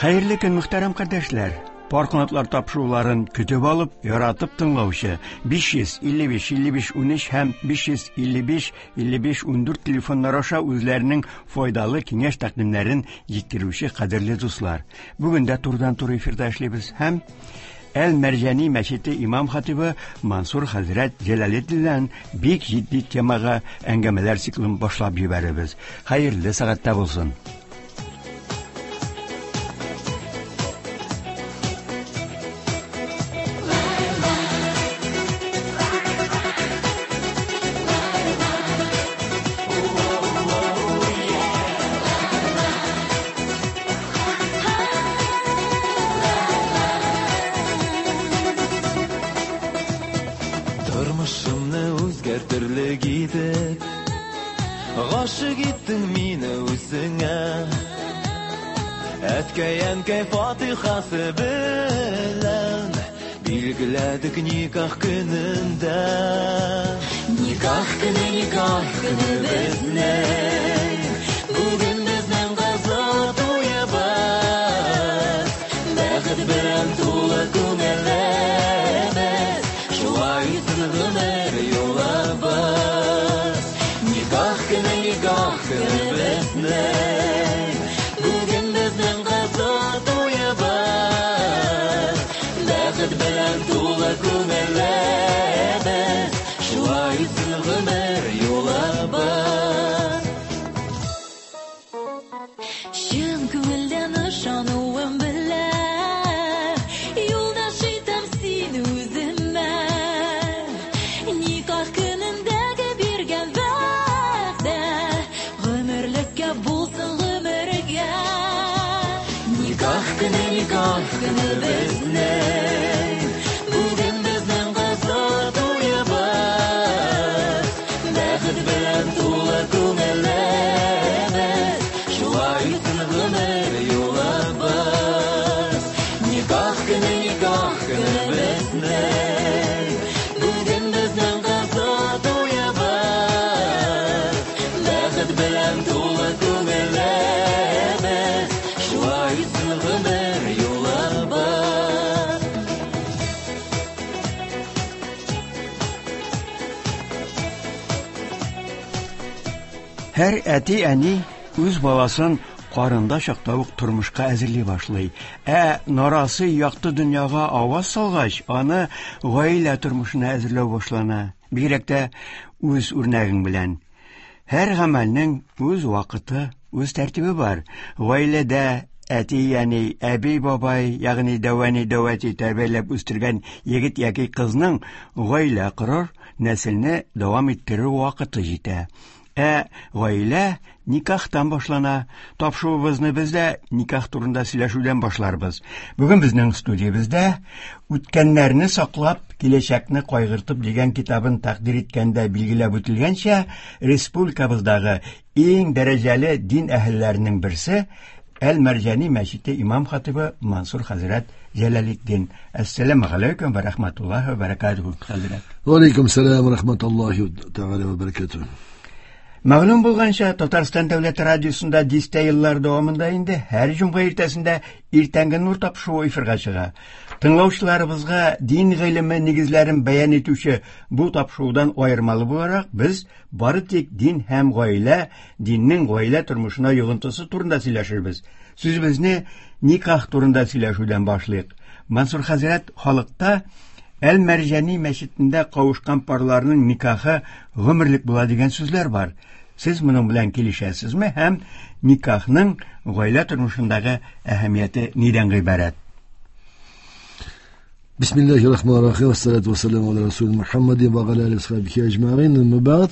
Хәерле көн, мөхтәрәм кардәшләр! Пар канатлар тапшыруларын көтеп алып, яратып тыңлаучы 555 55 13 һәм 555 55 14 телефоннар аша үзләренең файдалы киңәш тәкъдимнәрен җиткерүче кадерле дуслар. Бүген дә турыдан-туры эфирда эшлибез һәм Әл-Мәрҗани мәчете имам хатибы Мансур хәзрәт Җәләлетдиннән бик җитди темага әңгәмәләр циклын башлап җибәрәбез. Хәерле сәгатьтә булсын. Тормышымны үзгәртерлек итеп Гашык иттең мине үзеңә. Әткәй, әнкәй фатихасы белән Билгеләдек никах көнендә. Никах көне, никах көне безнең. Бүген безнең кызыл туебыз. Бәхет белән тулы күңелебез. Шулай үтсен гомер юлыбыз. Никах көне, никах көне безнең. Бүген безнең кызыл туебыз. Бәхет белән тулы күңелебез. Шулай үтсен гомер юлыбыз. Чын күңелдән ышануым белән юлдаш итәм сине үземә. Никах көнендәге биргән вәгъдә гомерлеккә булсын гомергә. Никах көне, никах көне безнең. Бүген безнең кызыл туебыз. Бәхет белән тулы күңелебез. Шулай үтсен гомер юлыбыз. Никах көне, никах көне безнең. Бүген безнең кызыл туебыз. Бәхет белән тулы күңелебез. Шулай үтсен гомер юлыбыз. Һәр әти-әни үз баласын карында чакта ук тормышка әзерли башлый. Ә нарасы якты дөньяга аваз салгач, аны гаилә тормышына әзерләү башлана. Бигрәк тә үз үрнәгең белән. Һәр гамәлнең үз вакыты, үз тәртибе бар. Гаиләдә әти-әни, әби-бабай, ягъни дәүәни, дәүәти тәрбияләп үстергән егет яки кызның гаилә корыр, нәселне дәвам иттерер вакыты җитә. Ә гаилә никахтан башлана. Тапшыруыбызны без дә никах турында сөйләшүдән башларбыз. Бүген безнең студиябездә Үткәннәрне саклап, киләчәкне кайгыртып дигән китабын тәкъдир иткәндә билгеләп үтелгәнчә, республикабыздагы иң дәрәҗәле дин әһелләренең берсе Әл-Мәрҗани мәчете имам хатибы Мансур хәзрәт Җәләлетдин. Әссәламү галәйкүм ва рахматуллаһи ва баракатуһу, хәзрәт. Ва алейкум сәлам ва рахматуллаһи тәгалә ва баракатуһу. Мәгълүм булганча, Татарстан дәүләт радиосында дистә еллар дәвамында инде һәр җомга иртәсендә иртәнге нур тапшыруы эфирга чыга. Тыңлаучыларыбызга дин гыйлеме нигезләрен бәян итүче бу тапшырудан аермалы буларак, без бары тик дин һәм гаилә, диннең гаилә тормышына йогынтысы турында сөйләшербез. Сүзебезне никах турында сөйләшүдән башлыйк. Мансур хәзрәт, халыкта Әл-Мәрҗани мәчетендә кавышкан парларның никахы гомерлек була дигән сүзләр бар. Сез моның белән килешәсезме һәм никахның гаилә тормышындагы әһәмияте нидән гыйбарәт? Бисмиллахи рахмани рахим, вассалату вассаламу аля расулин Мухаммадин ва аля алихи ва сахбихи аҗмаин. Әмма бәгъд,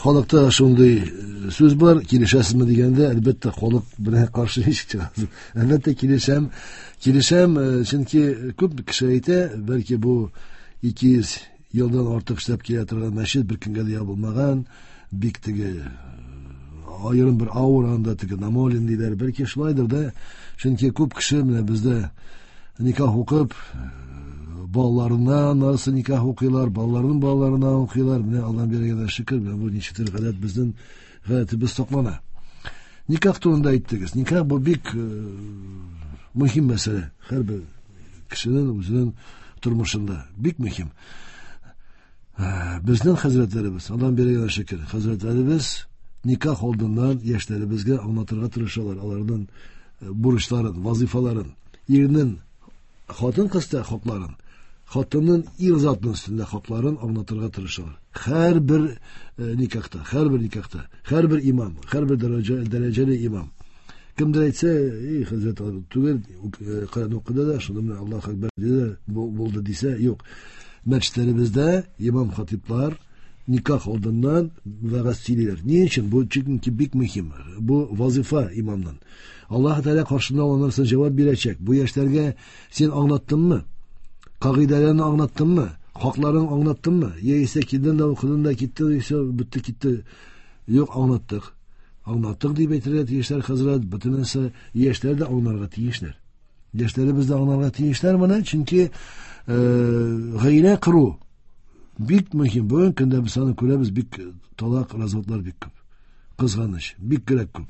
халыкта шундый сүз бар, килешәсезме дигәндә, әлбәттә, халык белән каршы ничек чыгасың? Әлбәттә, килешәм. Килешәм, чөнки күп кеше әйтә, бәлки бу 200 елдан артык эшләп килә торган мәчет бер көнгә дә ябылмаган, бик теге аерым бер аура анда, теге намолин диләр, бәлки шулайдыр да, чөнки күп кеше менә бездә никах укып, балаларына нарсы никах укыйлар, балаларының балаларына укыйлар, менә Аллаһ биргән шөкер, менә бу ничектер гадәт безнең гадәтебез саклана. Никах турында әйттегез. Никах бу бик мөһим мәсьәлә. Һәрбер кешенең үзенең тормышында бик мөһим. Безнең хәзрәтләребез, Аллаһ биргән шөкер, хәзрәтләребез никах алдыннан яшьләребезгә аңлатырга тырышалар аларның бурычларын, вазифаларын, ирнең хатын-кызда хакларын, хатынның ир затының өстендә хакларын аңлатырга тырышалар. Һәрбер никахта, һәрбер никахта, һәрбер имам, һәрбер дәрәҗәле имам. Кемдер әйтсә, эй, хәзрәт түгел, Коръән укыды да, шуны менә Аллаһу акбар диде, булды дисә, юк. Мәчетләребездә имам хатиплар никах алдыннан вәгазь сөйлиләр. Ни өчен? Бу чөнки бик мөһим. Бу вазифа имамның. Аллаһ Тәгалә каршында ул анарсын җавап бирәчәк. Бу яшьләргә син аңлаттыңмы? Кагыйдәләрне аңлаттыңмы? Хакларын аңлаттыңмы? Яисә килдең дә укыдың да китте, все, бетте китте. Юк, аңлаттык. Аңлаттык дип әйтергә тиешләр хәзрәт, бөтен нәрсә яшьләр дә аңларга тиешләр. Яшьләребез дә аңларга тиешләр моны, чөнки гаилә кору бик мөһим. Бүген көндә без аны күрәбез, бик талак, разводлар бик күп. Кызганыч, бик кирәк күп.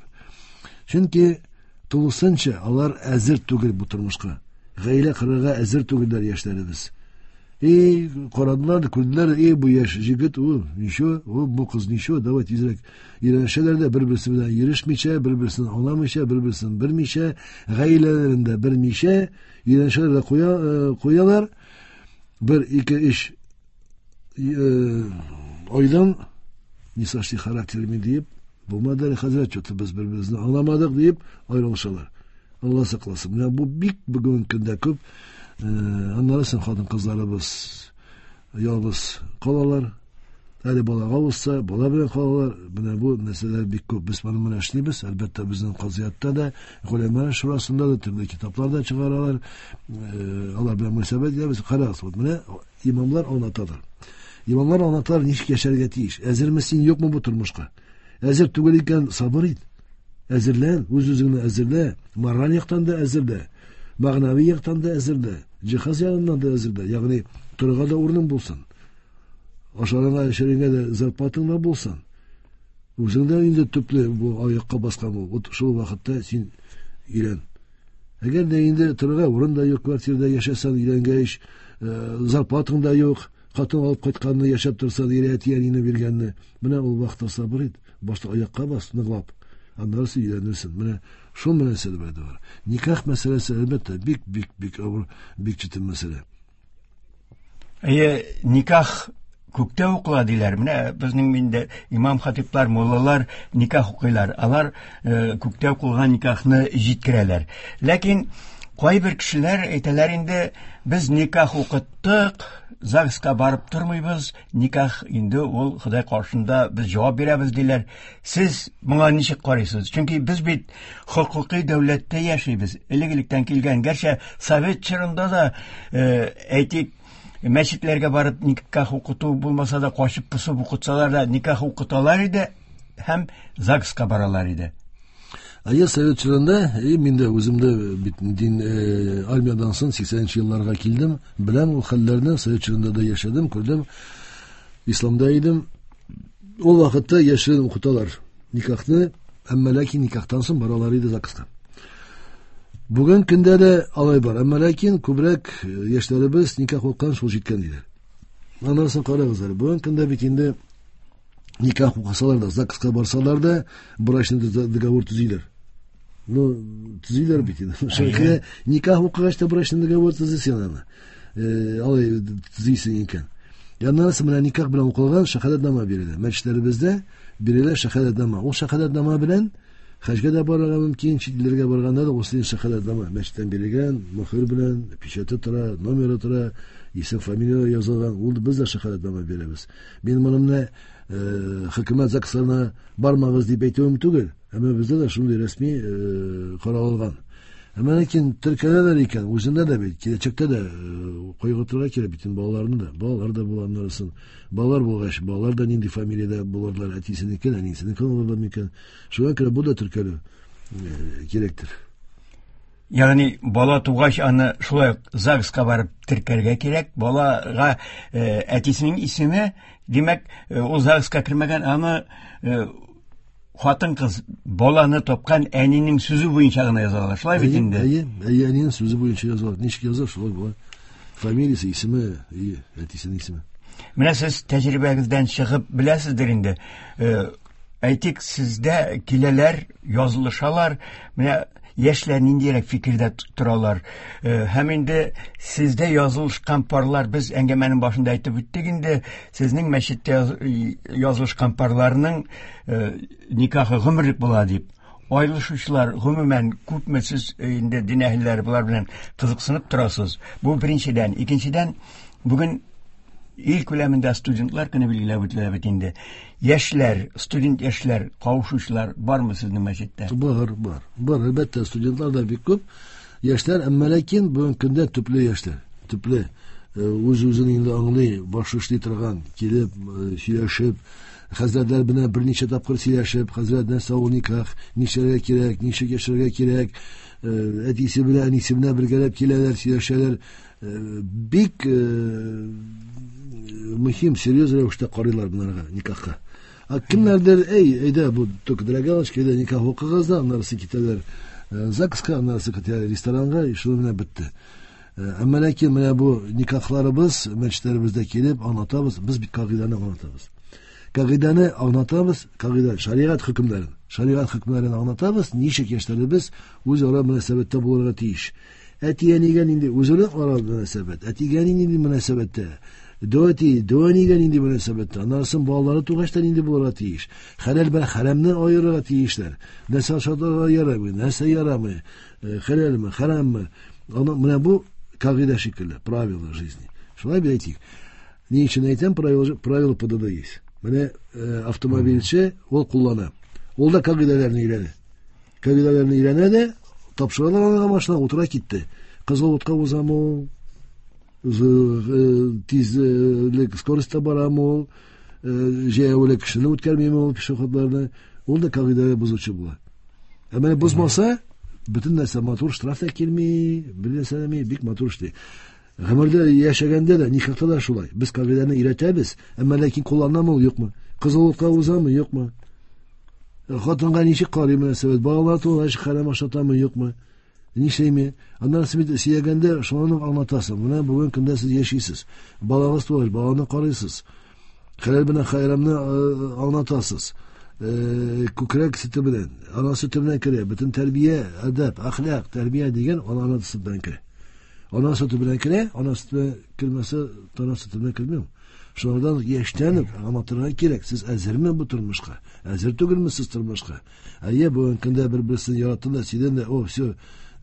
Чөнки тулысынча алар әзер түгел бу тормышка. Гаилә корырга әзер түгелләр яшьләребез. И карадылар, күрделәр, и бу яшь җегет, ул ничего, ул бу кыз ничего, давай тизрәк өйләнешәләр дә, бер-берсе белән йөрешмичә, бер-берсен аңламыйча, бер-берсен белмичә, гаиләләрен дә белмичә, өйләнешәләр дә куялар. Бер, ике, өч айдан не сошли характерами диеп, булмады әле хәзрәт, что-то без бер-беребезне аңламадык диеп аерылышалар. Алла сакласын. Менә бу бик бүгенге көндә күп. Аннары соң хатын-кызларыбыз ялгыз калалар. Әле балага узса, бала белән калалар. Менә бу мәсьәләләр бик күп. Без моны менә эшлибез. Әлбәттә, безнең казыятта да, голәмә шурасында да төрле китаплар да чыгаралар. Алар белән мөнәсәбәт итәбез. Карагыз, вот менә имамлар аңлаталар. Имамлар аңлаталар, ничек яшәргә тиеш. Әзерме син, юкмы бу тормышка? Әзер түгел икән, сабыр ит. Әзерлән, үз-үзеңне әзерлә. Мораль яктан да әзерлә. Мәгънәви яктан да әзерлә. Җиһаз ягыннан да әзерлә. Ягъни торырга да урының булсын. Ашарыңа, эчәреңә дә зарплатаң да булсын. Үзең дә инде төпле бу аякка баскан бул. Вот шул вакытта син өйлән. Әгәр дә инде торырга урын да юк, квартирада яшәсәң, өйләнгәч, зарплатаң да юк, хатын алып кайтканны яшәп торсаң, ире әти-әнине биргәнне, менә ул вакытта сабыр ит, башта аякка бас, ныклап, аннары син өйләнерсең. Менә шул мәсьәлә бар. Никах мәсьәләсе, әлбәттә, бик, бик, бик авыр, бик читен мәсьәлә. Әйе, никах күктә укыла диләр. Менә безнең инде имам хатиплар, муллалар никах укыйлар. Алар күктә укылган никахны җиткерәләр. Ләкин кайбер кешеләр әйтәләр инде, без никах укыттык, ЗАГСка барып тормыйбыз, никах инде ул Ходай каршында без җавап бирәбез диләр. Сез моңа ничек карыйсыз? Чөнки без бит хокукый дәүләттә яшибез. Элек-электән килгән, гәрчә совет чорында да, әйтик, мәчетләргә барып никах укыту булмаса да, качып посып укытсалар да, никах укыталар иде һәм ЗАГСка баралар иде. Әйе, совет чорында, и мин дә үзем дә бит дин армиядан соң 80 елларга килдем, беләм ул хәлләрне, совет чорында да яшәдем, күрдем, исламда идем. Ул вакытта яшерен укыталар никахны, әмма ләкин никахтан соң баралар иде ЗАГСка. Бүген көндә дә алай бар, әмма ләкин күбрәк яшьләребез никах укыган шул җиткән диләр. Аннан соң карагыз әле, бүген көндә бит инде никах укысалар да, ЗАГСка барсалар да, брачный договор төзиләр. Ну, төзиләр бит инде. Шуңа никах укыгач та брачный договор төзисең аны. Алай төзисең икән. Аннан соң менә никах белән укылган шәһадәтнамә бирелә. Мәчетләребездә бирелә шәһадәтнамә. Ул шәһадәтнамә белән хаҗга да барырга мөмкин, чит илләргә барганда да ул синең шәһадәтнамә мәчеттән бирелгән, мөһер белән, печате тора, номеры тора, исем, фамилия язылган. Ул без дә шәһадәтнамә бирәбез. Мин моны менә хөкүмәт ЗАГСларына бармагыз дип әйтүем түгел, әмма бездә дә шундый рәсми каралган. Әмма ләкин теркәләләр икән, үзендә дә бит, киләчәктә дә кайгыртырга кирәк бит балаларны да. Балалар да була аннарысын. Балалар булгач, балалар да нинди фамилиядә булырлар, әтисенеке, әнисенеке булырлар микән? Шуңа күрә бу да теркәлү кирәктер. Ягъни бала тугач аны шулай ук ЗАГСка барып теркәргә кирәк. Балага әтисенең исеме, димәк, ул ЗАГСка кермәгән, аны Хатын-кыз баланы тапкан әнинең сүзе буенча гына язалар. Шулай бит инде. Әйе, әйе, әнинең сүзе буенча язалар. Ничек яза, шулай була. Фамилиясе, исеме, әйе, әтисенең исеме. Менә сез тәҗрибәгездән чыгып беләсездер инде. Әйтик, сездә киләләр, язылышалар. Менә яшьләр ниндирәк фикердә торалар. Һәм инде сездә язылышкан парлар, без әңгәмәнең башында әйтеп үттек инде, сезнең мәчеттә язылышкан парларның никахы гомерлек була дип. Аерылышучылар гомумән күпме, сез инде дин әһелләре болар белән кызыксынып торасыз. Бу беренчедән. Икенчедән, бүген ил күләмендә студентлар көне билгеләп үтелә бит инде. Яшьләр, студент яшьләр, кавышучылар бармы сезнең мәчеттә? Бар, бар. Бар, әлбәттә, студентлар да бик күп. Яшьләр, әмма ләкин бүгенге көндә төпле яшьләр, төпле. Үз-үзен инде аңлый, башы эшли торган, килеп, сөйләшеп, хәзрәтләр белән берничә тапкыр сөйләшеп, хәзрәт нәрсә ул никах, нишләргә кирәк, ничек яшәргә кирәк, әтисе белән, әнисе белән бергәләп киләләр, сөйләшәләр. Бик мөһим, серьез рәвештә карыйлар боларга, никахка. А кемнәрдер, эй, әйдә, бу только для галочки, әйдә, никах укыгыз да, аннары китәләр ЗАГСка, аннары китәләр ресторанга, и шуның белән бетте. Әмма ләкин менә бу никахларыбыз мәчетләребездә килеп аңлатабыз, без бит кагыйдәне аңлатабыз. Кагыйдәне аңлатабыз, кагыйдә, шәригать хөкемнәрен. Шәригать хөкемнәрен аңлатабыз, ничек яшьләребез үзара мөнәсәбәттә булырга тиеш. Әти-әнигә нинди үзара ара мөнәсәбәт, әтигә нинди мөнәсәбәттә, дәү әти, дәү әнигә нинди мөнәсәбәттә, аннан соң балалары тугач та нинди булырга тиеш. Хәләл белән хәрамны аерырга тиешләр. Нәрсә ашатырга ярамый, нәрсә ярамый, хәләлме, хәраммы. Аны менә бу кагыйдә шикелле, правила жизни. Шулай бит әйтик. Ни өчен әйтәм, правила ПДД есть. Менә автомобильче ул куллана. Ул да кагыйдәләрне өйрәнә. Кагыйдәләрне өйрәнә дә, тапшыралар аңа машина, утыра китте. Кызыл утка узамы ул, тизлек, скоростьта барамы ул, җәяүле кешене үткәрмиме ул пешеходларны, ул да кагыйдәләр бозучы була. Ә менә бозмаса, бөтен нәрсә матур, штраф та килми, бер нәрсә дә бик матур эшли. Гомердә яшәгәндә дә, никахта да шулай. Без кагыйдәне өйрәтәбез, әмма ләкин кулланамы ул, юкмы? Кызыл утка узамы, юкмы? Хатынга ничек карый мөнәсәбәт, балалар тугач хәрам ашатамы, юкмы? Нишләйме? Аннан соң бит сөйләгәндә шуны аңлатасың. Менә бүген көндә сез яшисез. Балагыз тугач, баланы карыйсыз. Хәләл белән хәрамны аңлатасыз. Күкрәк сөте белән, ана сөте белән керә. Бөтен тәрбия, әдәп, әхлак, тәрбия дигән ана сөте белән керә. Ана сөте белән керә, ана сөте кермәсә, тана сөте белән керми. Шулардан яшьтән үк аңлатырга кирәк. Сез әзерме бу тормышка? Әзер түгелме сез тормышка? Әйе, бүгенге көндә бер-берсен яраттың да, сөйдең дә, о, все,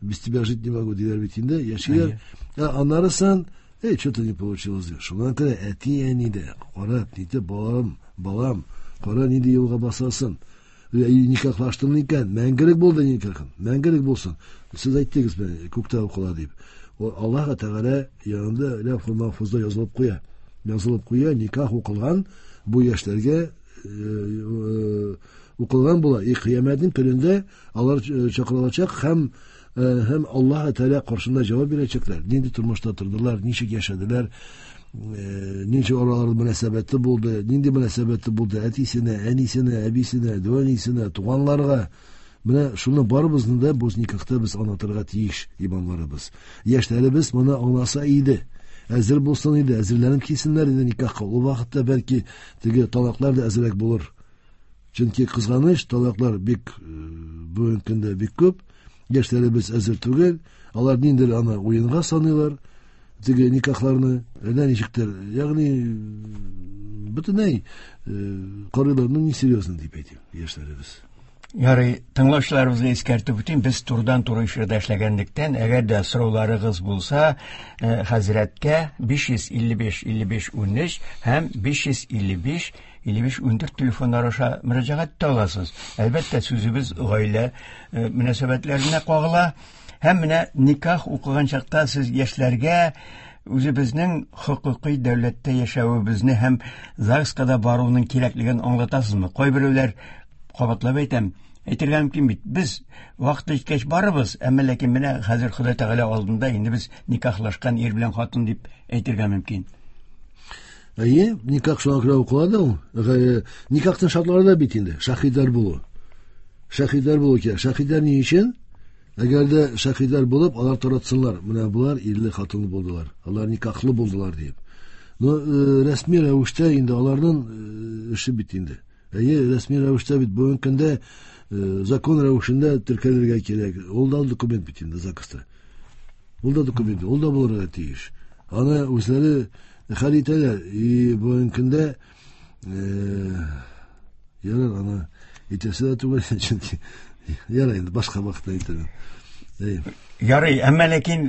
без тебя жить не могу, диләр бит инде, яшиләр. Ә аннары соң, эй, что-то не получилось, ди. Шуннан күрә әти-әни дә карап, нитеп, балам, балам, кара нинди юлга басасың. Никахлаштың икән, мәңгелек булды никахың, мәңгелек булсын. Сез әйттегез менә, күктә укыла дип. Аллаһ Тәгалә янында ләүхул махфузда язылып куя. Язылып куя, никах укылган бу яшьләргә укылган була. И кыямәтнең көнендә алар чакырылачак һәм Аллаһ Тәгалә каршында җавап бирәчәкләр. Нинди тормышта тордылар, ничек яшәделәр, ничек араларында мөнәсәбәте булды, нинди мөнәсәбәте булды әтисенә, әнисенә, әбисенә, дәү әнисенә, туганларга. Менә шуны барыбызны да бу никахта без аңлатырга тиеш, имамларыбыз. Яшьләребез моны аңласа иде, әзер булсын иде, әзерләнеп килсеннәр иде никахка. Ул вакытта бәлки теге талаклар да әзрәк булыр. Чөнки кызганыч, талаклар бик бүгенге көндә бик күп. Яшьләребез әзер түгел. Алар ниндидер аны уенга саныйлар, теге никахларны, әллә ничектер. Ягъни бөтенләй карыйлар, ну не серьезно дип әйтим, яшьләребез. Ярый, тыңлаучыларыбызга искәртеп үтим, без турыдан-туры эфирда эшләгәнлектән, әгәр дә сорауларыгыз булса, хәзрәткә 555 55 13 һәм 555 55 14 телефоннары аша мөрәҗәгать итә аласыз. Әлбәттә, сүзебез гаилә мөнәсәбәтләренә кагыла. Һәм менә никах укыган чакта сез яшьләргә үзебезнең хокукый дәүләттә яшәвебезне һәм ЗАГСка да баруның кирәклеген аңлатасызмы? Кайберәүләр, кабатлап әйтәм, әйтергә мөмкин бит, без вакыты җиткәч барыбыз, әмма ләкин менә хәзер Ходай Тәгалә алдында инде без никахлашкан ир белән хатын дип әйтергә мөмкин. Әйе, никах шуңа күрә укыла да ул. Никахның шартлары да бит инде, шаһидләр булу. Шаһидләр булу кирәк. Шаһидләр ни өчен? Әгәр дә шаһидләр булып, алар таратсыннар. Менә болар ирле хатынлы булдылар. Алар никахлы булдылар дип. Но рәсми рәвештә инде аларның эше бит инде. Әйе, рәсми рәвештә бит бүгенге көндә закон рәвешендә теркәлергә кирәк. Ул да документ бит инде ЗАГСта. Ул да документ, ул да булырга тиеш. Аны үзләре хәл итәләр. И бүгенге көндә ярар, аны әйтәсе дә түгел, чөнки ярар инде башка вакытта әйтермен. Ярый, әмма ләкин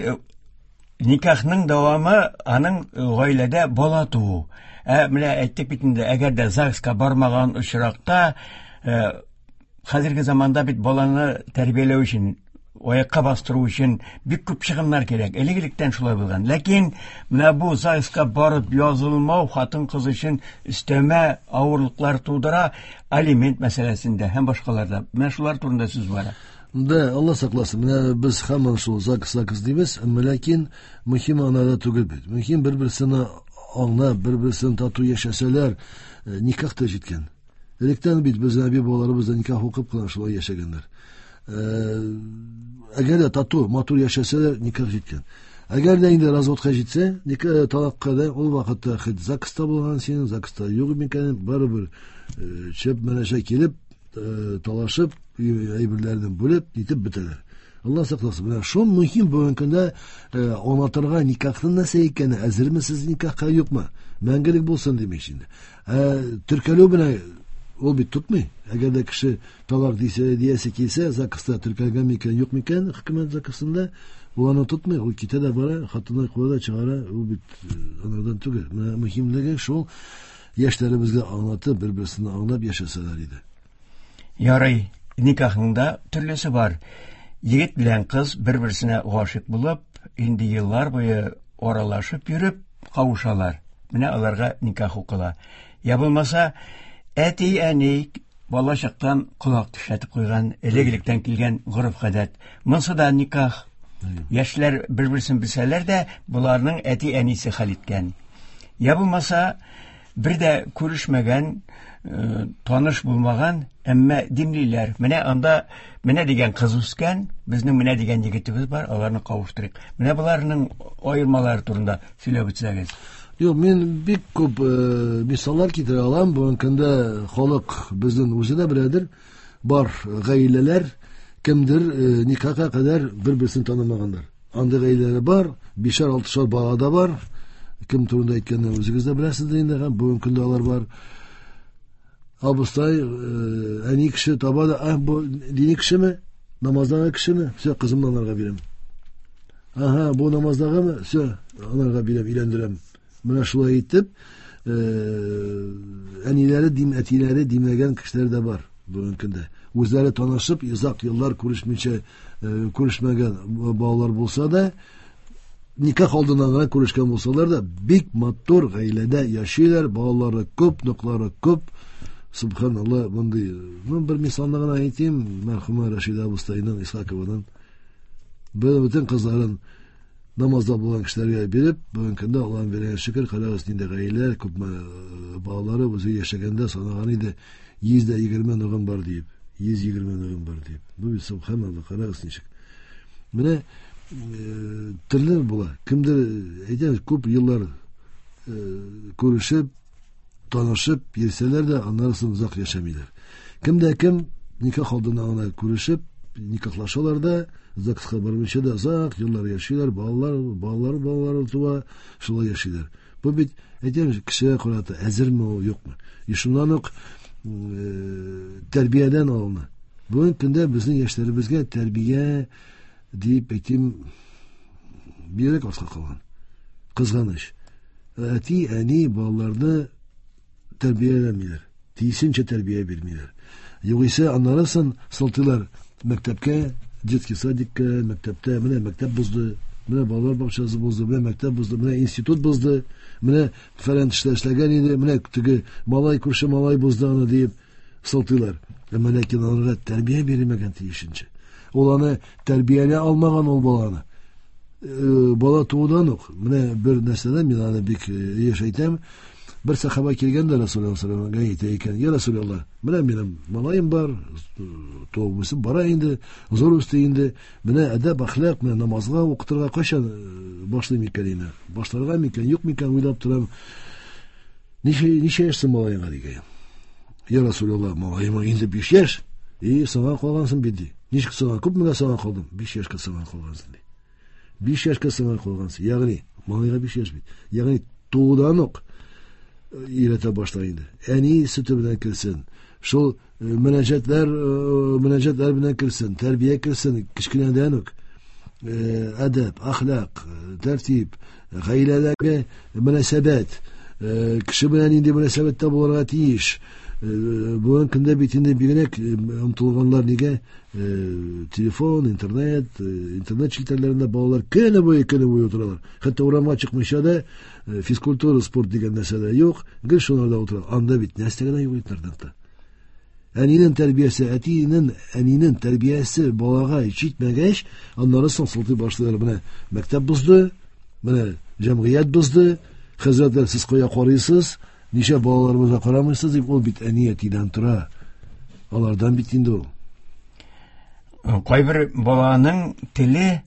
никахның дәвамы аның гаиләдә бала туу. Ә менә әйттек бит инде, әгәр дә ЗАГСка бармаган очракта, хәзерге заманда бит баланы тәрбияләү өчен, аякка бастыру өчен бик күп чыгымнар кирәк. Элек-электән шулай булган. Ләкин менә бу ЗАГСка барып язылмау хатын-кыз өчен өстәмә авырлыклар тудыра, алимент мәсьәләсендә һәм башкаларда. Менә шулар турында сүз бара. Да, Алла сакласын. Менә без һаман шул ЗАГС, ЗАГС дибез, әмма ләкин мөһим анада түгел бит. Мөһим бер-берсен аңлап, бер-берсен тату яшәсәләр, никах та җиткән. Электән бит безнең әби бабаларыбыз да никах укып кына шулай яшәгәннәр. Әгәр дә тату, матур яшәсәләр, никах җиткән. Әгәр дә инде разводка җитсә, никах талакка да ул вакытта хоть ЗАГСта булган синең, ЗАГСта юк микән, барыбер чеп менәшә килеп, талашып, әйберләрне бүлеп, нитеп бетәләр. Алла сакласын. Менә шул мөһим бүгенге көндә аңлатырга никахның нәрсә икәне, әзерме сез никахка, юкмы? Мәңгелек булсын димәкче инде. Теркәлү белән ул бит тотмый. Әгәр дә кеше талак дисә, диясе килсә, ЗАГСта теркәлгән микән, юк микән, хөкүмәт ЗАГСында, ул аны тотмый, ул китә дә бара, хатыны куя да чыгара, ул бит анардан түгел. Менә мөһимлеге шул, яшьләребезгә аңлатып, бер-берсен аңлап яшәсәләр иде. Ярый, никахның да төрлесе бар. Егет белән кыз бер-берсенә гашыйк булып, инде еллар буе аралашып йөреп кавышалар. Менә аларга никах укыла. Я булмаса, әти-әни бала чактан колак тешләтеп куйган, элек-электән килгән гореф-гадәт. Монсы да никах. Яшьләр бер-берсен белсәләр дә, боларның әти-әнисе хәл иткән. Я булмаса, бер дә күрешмәгән, таныш булмаган, әмма димлиләр. Менә анда менә дигән кыз үскән, безнең менә дигән егетебез бар, аларны кавыштырыйк. Менә боларның аермалары турында сөйләп үтсәгез. Юк, мин бик күп мисаллар китерә алам. Бүгенге көндә халык безнең үзе дә беләдер. Бар гаиләләр, кемдер никахка кадәр бер-берсен танымаганнар. Андый гаиләләр бар, бишәр, алтышар бала да бар. Кем турында әйткәнне үзегез дә беләсез инде, һәм бүгенге көндә алар бар. Абыстай, әни кеше таба да, бу дини кешеме? Намаздагы кешеме? Все, кызымны анарга бирәм. Ага, бу намаздагымы? Все, анарга бирәм, өйләндерәм. Менә шулай итеп, әниләре, әтиләре димләгән кешеләр дә бар бүгенге көндә. Үзләре танышып, озак еллар күрешмичә, күрешмәгән балалар булса да, никах алдыннан гына күрешкән булсалар да, бик матур гаиләдә яшиләр, балалары күп, ноклары күп. Субханалла, мондый, бер мисалны гына әйтим, мәрхүмә Рәшидә абыстайның, Исхакованың бөтен кызларын намазда булган кешеләргә биреп, бүгенге көндә Аллаһның биргән шөкер, карагыз нинди гаиләләр, күпме балалары үзе яшәгәндә санаган иде, 120 ногым бар диеп, 120 ногым бар диеп. Бу бит субханалла, карагыз ничек. Менә төрле була. Кемдер әйтәбез, күп еллар күрешеп, танышып йөрсәләр дә, аннары соң озак яшәмиләр. Кем дә кем никах алдыннан гына күрешеп, никахлашалар да, ЗАГСка бармыйча да озак еллар яшиләр, балалар, балалар, балалар туа, шулай яшиләр. Бу бит, әйтәм, кешегә карата әзерме ул, юкмы? И шуннан ук тәрбиядән алына. Бүгенге көндә безнең яшьләребезгә тәрбия дип әйтим, бигрәк артка калган. Кызганыч. Әти, әни балаларны тәрбияләмиләр. Тиешенчә тәрбия бирмиләр. Югыйсә аннары соң сылтыйлар мәктәпкә, детский садикка, мәктәптә, менә мәктәп бозды, менә балалар бакчасы бозды, менә мәктәп бозды, менә институт бозды, менә фәлән эшләр эшләгән иде, менә теге малай, күрше малай бозды аны диеп сылтыйлар. Әмма ләкин аларга тәрбия бирелмәгән тиешенчә. Ул аны тәрбияли алмаган ул баланы. Бала туудан ук, менә бер нәрсәдә мин аны бик еш әйтәм. Бер сахаба килгән дә Расулуллаһ саллаллаһу алейһи ва әйтә икән: "Я Расулуллаһ, менә минем малаем бар, туып үсеп бара инде, зур үсте инде. Менә әдәп, әхлак, менә намазга укытырга кайчан башлыйм икән инде? Башларга микән, юк микән уйлап торам. Ничә яшь соң малаеңа?" дигән. "Я Расулуллаһ, малаема инде 5 яшь. И, соңга калгансың бит", ди. "Ничек соңга? Күпмегә соңга калдым?" "5 яшькә соңга калгансың", ди. 5 яшькә соңга калгансың. Ягъни, малайга 5 яшь бит. Ягъни туудан ук өйрәтә башла инде. Әни сөте белән керсен. Шул мөнәҗәтләр белән керсен, тәрбия керсен кечкенәдән үк. Әдәп, әхлак, тәртип, гаиләдәге мөнәсәбәт, кеше белән нинди мөнәсәбәттә булырга тиеш. Бүгенге көндә бит инде бигрәк омтылганнар нигә? Телефон, интернет, интернет челтәрләрендә балалар көне буе утыралар. Хәтта урамга чыкмыйча да физкультура, спорт дигән нәрсә дә юк, гел шуларда утыра. Анда бит нәрсә генә юк интернетта. Әнинең тәрбиясе, әтинең, әнинең тәрбиясе балага җитмәгәч, аннары соң сылтый башлыйлар. Менә мәктәп бозды, менә җәмгыять бозды, хәзрәтләр сез кая карыйсыз, ничә балаларыбызга карамыйсыз дип, ул бит әни әтидән тора. Алардан бит инде ул. Кайбер баланың теле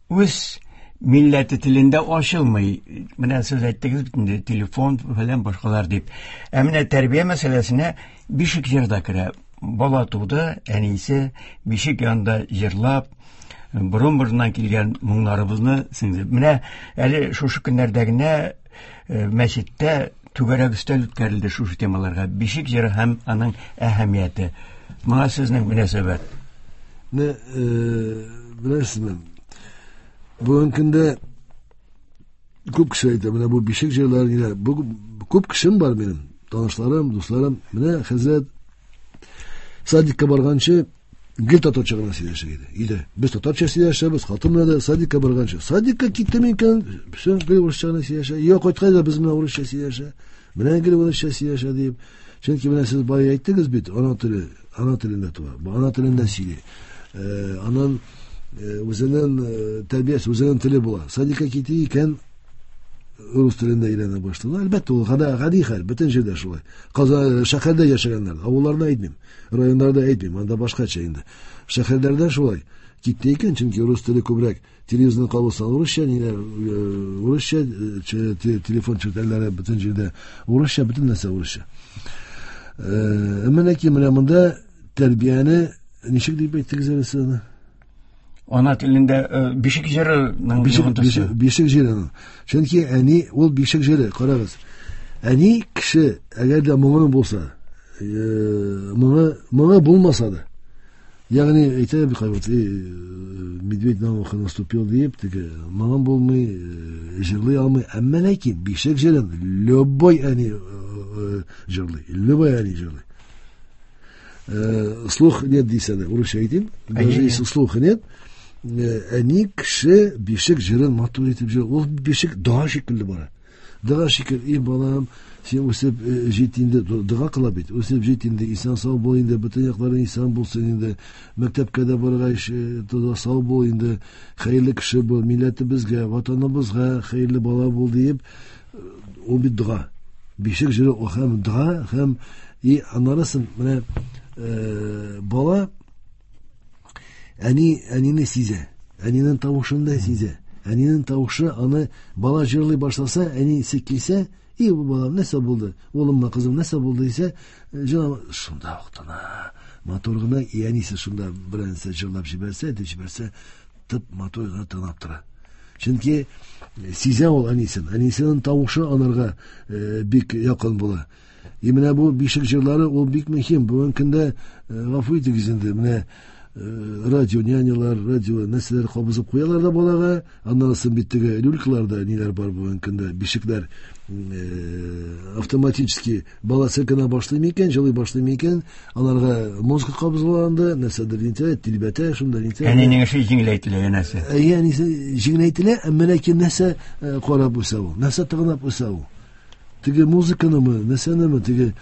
үз милләте телендә ачылмый. Менә сез әйттегез бит инде, телефон белән башкалар дип. Ә менә тәрбия мәсьәләсенә бишек җыр да керә. Бала туды, әнисе бишек янында җырлап, борын-борыннан килгән моңнарыбызны сеңдереп. Менә әле шушы көннәрдә генә мәчеттә түгәрәк өстәл үткәрелде шушы темаларга. Бишек җыры һәм аның әһәмияте. Моңа сезнең мөнәсәбәт? Менә, беләсезме, бүгенге көндә күп кеше әйтә, менә бу бишек җырлары ниләр. Бу күп кешем бар минем, танышларым, дусларым. Менә хәзрәт садикка барганчы гел татарча гына сөйләшә иде. Өйдә без татарча сөйләшәбез, хатын белән дә садикка барганчы. Садикка китте микән, все, гел урысча гына сөйләшә. Өйгә кайткач да без менә урысча сөйләшә. Менә гел урысча сөйләшә дип. Чөнки менә сез бая әйттегез бит, ана теле, ана телендә туа, ана телендә сөйли. Анан үзенең тәрбиясе, үзенең теле була. Садикка китте икән, рус телендә өйрәнә башлады. Әлбәттә, ул гади хәл, бөтен җирдә шулай. Казан шәһәрдә яшәгәннәр, авылларда әйтмим, районнарда әйтмим, анда башкача инде. Шәһәрләрдә шулай. Китте икән, чөнки рус теле күбрәк телевизорны кабызсан урысча, ниләр, урысча, телефон челтәрләре бөтен җирдә урысча, бөтен нәрсә урысча. Әмма ләкин менә монда тәрбияне ничек дип әйттегез әле сез аны? Ана телендә бишек җырының бишек җырының. Чөнки әни ул бишек җыры, карагыз. Әни кеше, әгәр дә моңы булса, моңы булмаса да, ягъни әйтә бит кайвакыт, медведь на ухо наступил дип, теге моңы булмый, җырлый алмый. Әмма ләкин бишек җырын любой әни җырлый, любой әни җырлый. Слух нет дисә дә, урысча әйтим, даже если слуха нет, әни кеше бишек җырын матур итеп җырлый. Ул бишек дога шикелле бара. Дога шикелле, и балам, син үсеп җит инде, дога кыла бит, үсеп җит инде, исән сау бул инде, бөтен якларың исән булсын инде, мәктәпкә дә баргач, сау бул инде, хәерле кеше бул, милләтебезгә, ватаныбызга хәерле бала бул диеп, ул бит дога. Бишек җыры ул һәм дога, һәм и аннарысын менә бала әни, әнине сизә, әнинең тавышын да сизә. Әнинең тавышы аны бала җырлый башласа, әнисе килсә, и бу балам нәрсә булды, улыммы, кызым нәрсә булды дисә, җылап шунда ук тына. Матур гына, и әнисе шунда берәрсе җырлап җибәрсә, әйтеп җибәрсә, тып матур гына тыңлап тора. Чөнки сизә ул әнисен. Әнисенең тавышы анарга бик якын була. И менә бу бишек җырлары ул бик мөһим. Бүгенге көндә, гафу итегез инде, менә радио нянялар, радио нәрсәләр кабызып куялар да балага, аннан соң бит теге люлькаларда ниләр бар бүгенге көндә, бишекләр автоматически бала селкенә башлый микән, җылый башлый микән, аларга музыка кабызыла анда, нәрсәдер нитә, тирбәтә, шунда нитә. Әнинең эше җиңеләйтелә, янәсе. Әйе, әнисе җиңеләйтелә, әмма ләкин нәрсә карап үсә ул, нәрсә тыгынап үсә ул. Теге музыканымы, нәрсәнеме, теге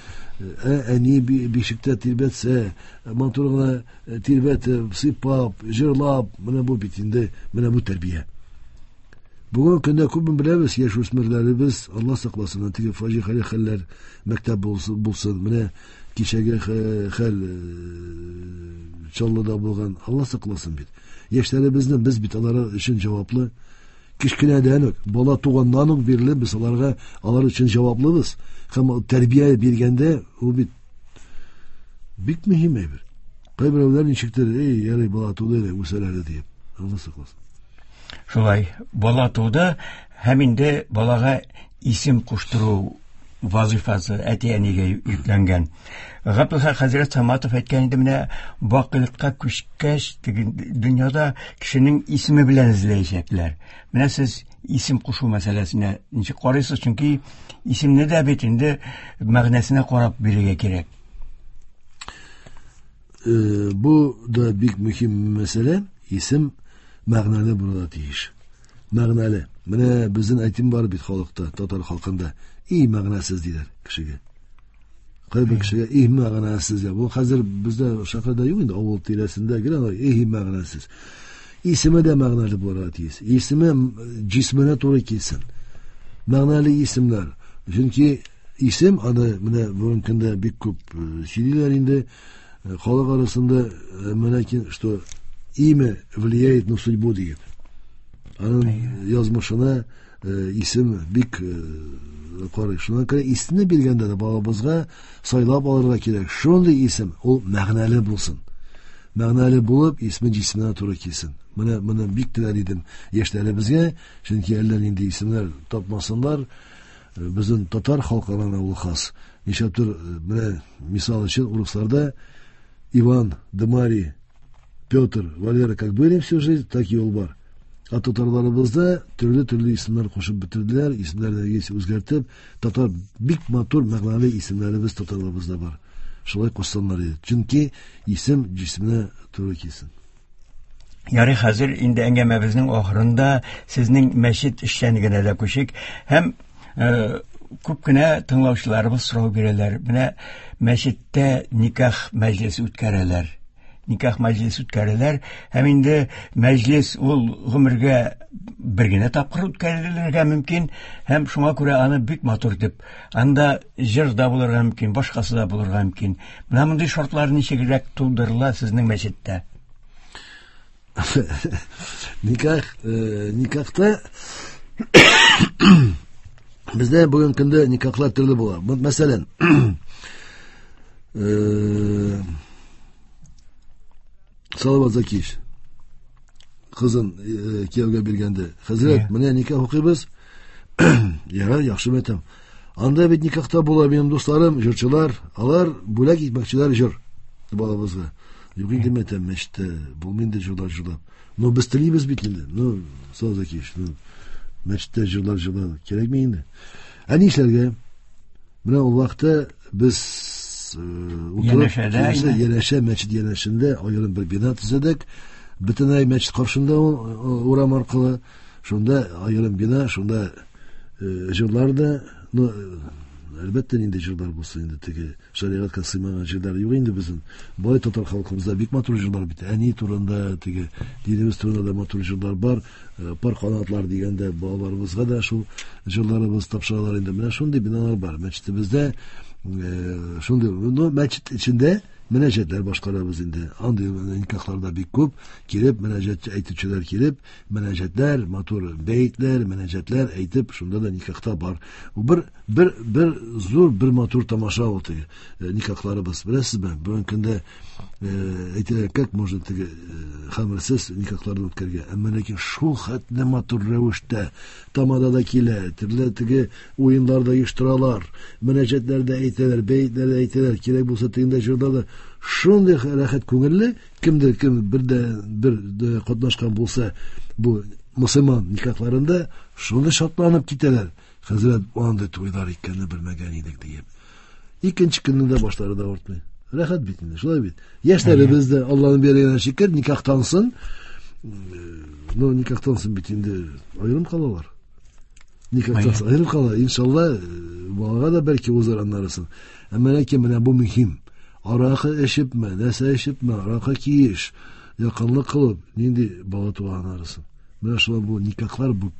әни бишектә тирбәтсә, матур гына тирбәтеп, сыйпап, җырлап, менә бу бит инде, менә бу тәрбия. Бүгенге көндә күпме беләбез, яшүсмерләребез, Алла сакласын, теге фаҗигале хәлләр мәктәп булсын, менә кичәге хәл Чаллыда булган, Алла сакласын бит. Яшьләребезне без бит алар өчен җаваплы. Кечкенәдән үк, бала туганнан ук бирле без аларга, алар өчен җаваплыбыз. Һәм тәрбия биргәндә ул бит бик мөһим әйбер. Кайберәүләр ничектер, эй, ярый, бала туды әле, үсәр әле диеп. Алла сакласын. Шулай, бала туды һәм инде балага исем куштыру вазифасы әти-әнигә йөкләнгән. Габдулхак хәзрәт Саматов әйткән инде, менә бакыйлыкка күчкәч, теге дөньяда кешенең исеме белән эзләячәкләр. Менә сез исем кушу мәсьәләсенә ничек карыйсыз? Чөнки исемне дә бит инде мәгънәсенә карап бирергә кирәк. Бу да бик мөһим мәсьәлә. Исем мәгънәле булырга тиеш. Мәгънәле. Менә безнең әйтем бар бит халыкта, татар халкында. И мәгънәсез диләр кешегә. Кайбер кешегә и мәгънәсез. Бу хәзер бездә шәһәрдә юк инде, авыл тирәсендә генә и мәгънәсез. Исеме дә мәгънәле булырга тиеш. Исеме җисменә туры килсен. Мәгънәле исемнәр. Чөнки исем аны менә бүгенге көндә бик күп сөйлиләр инде. Халык арасында менә что имя влияет на судьбу диеп. Аның язмышына исем бик карый. Шуңа күрә исемне биргәндә дә балабызга сайлап алырга кирәк. Шундый исем, ул мәгънәле булсын. Мәгънәле булып, исме җисменә туры килсен. Менә моны бик теләр идем яшьләребезгә, чөнки әллә нинди исемнәр тапмасыннар. Безнең татар халкына ул хас. Нишләптер, менә мисал өчен урысларда Иван, Дмарий, Петр, Валера как были всю жизнь, так и ул бар. А татарларыбызда төрле-төрле исемнәр кушып бетерделәр, исемнәрне үзгәртеп, татар бик матур мәгънәле исемнәребез татарларыбызда бар. Шулай кушсаннар иде. Чөнки исем җисменә туры килсен. Ярый, хәзер инде әңгәмәбезнең ахырында сезнең мәчет эшчәнлегенә дә күчик. Һәм күп кенә тыңлаучыларыбыз сорау бирәләр. Менә мәчеттә никах мәҗлесе үткәрәләр. Никах мәҗлесе үткәрәләр. Һәм инде мәҗлес ул гомергә бер генә тапкыр үткәрелергә мөмкин. Һәм шуңа күрә аны бик матур итеп, анда җыр да булырга мөмкин, башкасы да булырга мөмкин. Менә мондый шартлар ничегрәк тудырыла сезнең мәчеттә? Никахта бездә бүгенге көндә никахлар төрле була. Мәсәлән, Салават Закиевич кызын кияүгә биргәндә, хәзрәт, менә никах укыйбыз. Ярар, яхшы әйтәм. Анда бит никахта була минем дусларым, җырчылар, алар бүләк итмәкчеләр җыр балабызга. Юк инде әйтәм, мәчеттә булмый инде җырлар җырлап. Но без телибез бит инде. Ну, Салават Закиевич, ну, мәчеттә җырлар җырлау кирәкме инде? Ә нишләргә? Менә ул вакытта без утырып, янәшә мәчет янәшендә аерым бер бина төзедек. Бөтенләй мәчет каршында ул урам аркылы, шунда аерым бина, шунда җырлар да, ну, әлбәттә нинди җырлар булсын инде, теге шәригатькә сыймаган җырлар юк инде безнең. Бай татар халкыбызда бик матур җырлар бит. Әни турында, теге динебез турында да матур җырлар бар. Пар канатлар дигәндә балаларыбызга да шул җырларыбыз тапшыралар инде. Менә шундый биналар бар. Мәчетебездә шундый, ну, мәчет эчендә мөнәҗәтләр башкарабыз инде. Андый никахларда бик күп килеп, мөнәҗәт әйтүчеләр килеп, мөнәҗәтләр, матур бәетләр, мөнәҗәтләр әйтеп, шунда да никахта бар. Бу бер зур, бер матур тамаша ул теге никахларыбыз. Беләсезме, бүгенге көндә әйтәләр, как можно теге хәмерсез никахларны үткәрергә? Әмма ләкин шул хәтле матур рәвештә тамада да килә, төрле теге уеннар да оештыралар, мөнәҗәтләр дә әйтәләр, бәетләр дә әйтәләр, кирәк булса тегендә җырлар да. Шундый рәхәт күңелле, кемдер кем бер дә бер дә катнашкан булса бу мөселман никахларында, шундый шатланып китәләр. Хәзрәт, андый туйлар икәнне белмәгән идек диеп. Икенче көнне дә башлары да авыртмый. Рәхәт бит инде, шулай бит. Яшьләребез дә Алланың биргәненә шөкер, никахтан соң, ну, никахтан соң бит инде аерым калалар. Никахтан соң аерым кала. Иншалла, балага да бәлки узар аннарысын. Әмма ләкин менә бу мөһим. Аракы эчепме, нәрсә эчепме, аракы киеш, якынлык кылып, нинди бала туа аннарысын. Менә шулай бу никахлар бу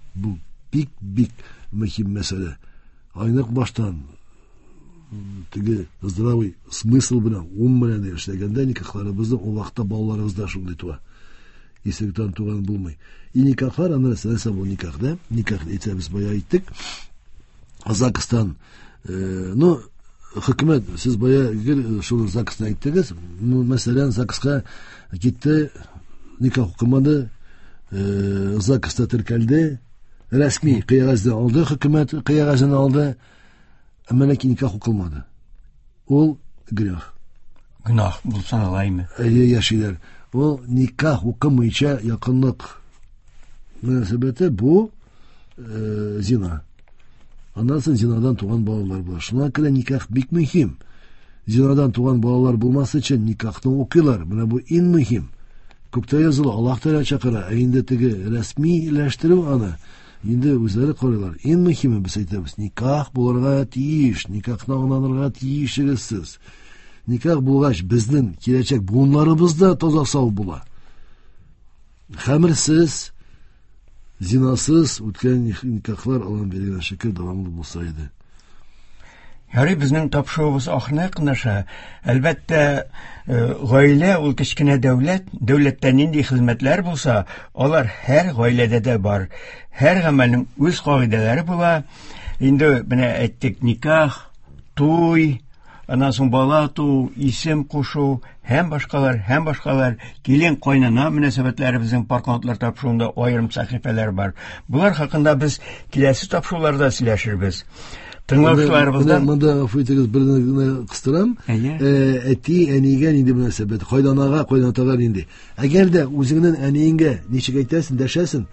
бик-бик мөһим мәсьәлә. Айнык баштан теге здравый смысл белән, ум белән эшләгәндә никахларыбызны ул вакытта балаларыбыз да шундый туа. Исеректән туган булмый. И никахлар, аны нәрсә бу никах, да? Никах әйтәбез, бая әйттек. ЗАГСтан, ну, хөкүмәт, сез бая гел шул ЗАГСны әйттегез. Ну, мәсәлән, ЗАГСка китте, никах укымады, ЗАГСта теркәлде, рәсми кәгазьне алды, хөкүмәт кәгазен алды, әмма ләкин никах укылмады. Ул гөнаһ. Гөнаһ булса алаймы? Әйе, яшиләр. Ул никах укымыйча якынлык мөнәсәбәте бу зина. Аннан соң зинадан туган балалар була. Шуңа күрә никах бик мөһим. Зинадан туган балалар булмас өчен никахны укыйлар. Менә бу иң мөһим. Күктә языла, Аллаһ Тәгалә чакыра. Ә инде теге рәсмиләштерү аны инде үзләре карыйлар. Иң мөһиме без әйтәбез, никах булырга тиеш, никахны аңланырга тиешегез сез. Никах булгач, безнең киләчәк буыннарыбыз да таза сау була. Хәмерсез, зинасыз үткән никахлар Аллаһның биргән шөкер дәвамлы булса иде. Ярый, безнең тапшыруыбыз ахырына якынлаша. Әлбәттә, гаилә ул кечкенә дәүләт, дәүләттә нинди хезмәтләр булса, алар һәр гаиләдә дә бар. Һәр гамәлнең үз кагыйдәләре була. Инде менә әйттек, никах, туй, аннан соң бала туу, исем кушу һәм башкалар, һәм башкалар. Килен кайнана мөнәсәбәтләре безнең Пар канатлар тапшыруында аерым сәхифәләр бар. Болар хакында без киләсе тапшыруларда сөйләшербез. Тыңлаучыларыбыздан монда гафу итегез, бер генә кыстырам. Әти әнигә нинди мөнәсәбәт, кайнанага, кайнатага нинди. Әгәр дә үзеңнең әниеңгә ничек әйтәсең, дәшәсең,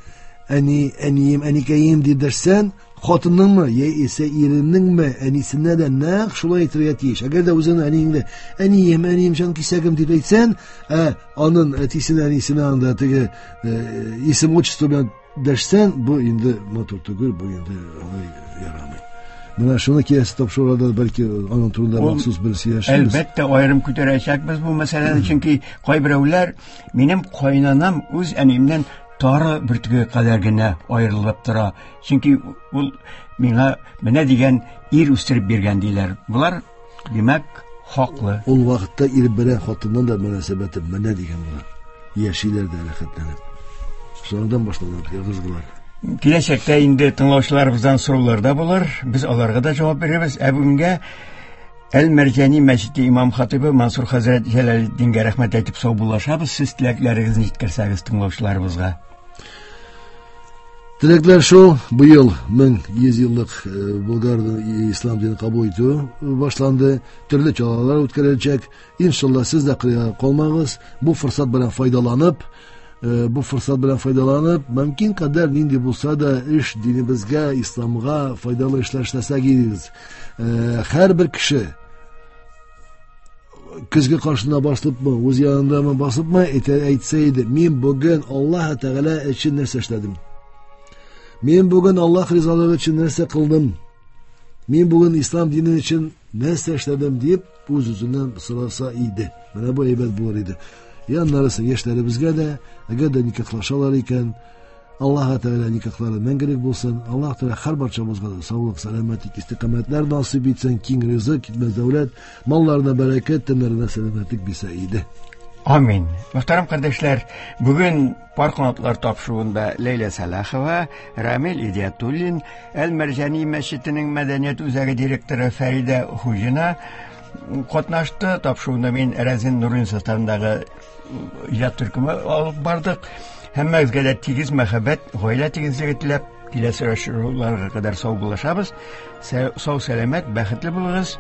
әни, әнием, әникәем дип дәшсәң, хатыныңмы, яисә иреңнеңме, әнисенә дә нәкъ шулай әйтергә тиеш. Әгәр дә үзеңнең әниеңне әнием, әнием, җан кисәгем дип әйтсәң, ә аның әтисенә, әнисенә анда теге исем отчество белән дәшсәң, бу инде матур түгел, бу инде алай ярамый. Менә шуны киләсе тапшыруда бәлки аның турында махсус бер сөйләшербез. Әлбәттә, аерым күтәрәчәкбез бу мәсьәләне, чөнки кайберәүләр минем кайнанам үз әниемнән тары бөртеге кадәр генә аерылып тора. Чөнки ул миңа менә дигән ир үстереп биргән диләр. Болар, димәк, хаклы. Ул вакытта ир белән хатынның да мөнәсәбәте менә дигән була. Яшиләр дә рәхәтләнеп. Шуннан башлана ыгы-зыгылар. Киләчәктә инде тыңлаучыларыбыздан сораулар да булыр. Без аларга да җавап бирербез. Ә бүгенгә Әл-Мәрҗани мәчете имам хатибы Мансур хәзрәт Җәләлетдингә рәхмәт әйтеп саубуллашабыз. Сез теләкләрегезне җиткерсәгез тыңлаучыларыбызга. Теләкләр шул, быел 1100 еллык Болгар ислам динен кабул итү башланды. Төрле чаралар үткәреләчәк. Иншалла, сез дә кырыйга калмагыз. Бу форсат белән файдаланып, бу форсат белән файдаланып, мөмкин кадәр нинди булса да эш динебезгә, исламга файдалы эшләр эшләсәк идегез. Һәрбер кеше көзге каршына басыпмы, үз янындамы басыпмы, әйтсә иде, мин бүген Аллаһ Тәгалә өчен нәрсә эшләдем? Мин бүген Аллаһ ризалыгы өчен нәрсә кылдым? Мин бүген ислам дине өчен нәрсә эшләдем дип үз-үзеннән сораса иде. Менә бу әйбәт булыр иде. Яннарысы яшьләребезгә дә, әгәр дә никахлашалар икән, Аллаһ Тәгалә никахлары мәңгелек булсын. Аллаһ Тәгалә һәр барчабызга да саулык, сәламәтлек, истикамәтләр насыйп итсен, киң ризык, китмәс дәүләт, малларына бәрәкәт, тәннәренә сәламәтлек бирсә иде. Амин. Мөхтәрәм кардәшләр, бүген Пар канатлар тапшыруында Ләйлә Сәлахова, Рамил Идиятуллин, Әл-Мәрҗани мәчетенең мәдәният үзәге директоры Фәридә Хуҗина катнашты. Тапшыруны мин Рәзин Нурин составындагы иҗат төркеме алып бардык. Һәммәгезгә дә тигез мәхәббәт, гаилә тигезлеге теләп, киләсе очрашуларга кадәр сау булышабыз. Сау сәламәт, бәхетле булыгыз.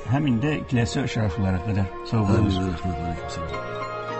Һәм инде киләсе очрашуларга кадәр сау булыгыз. Рәхмәт, алейкум.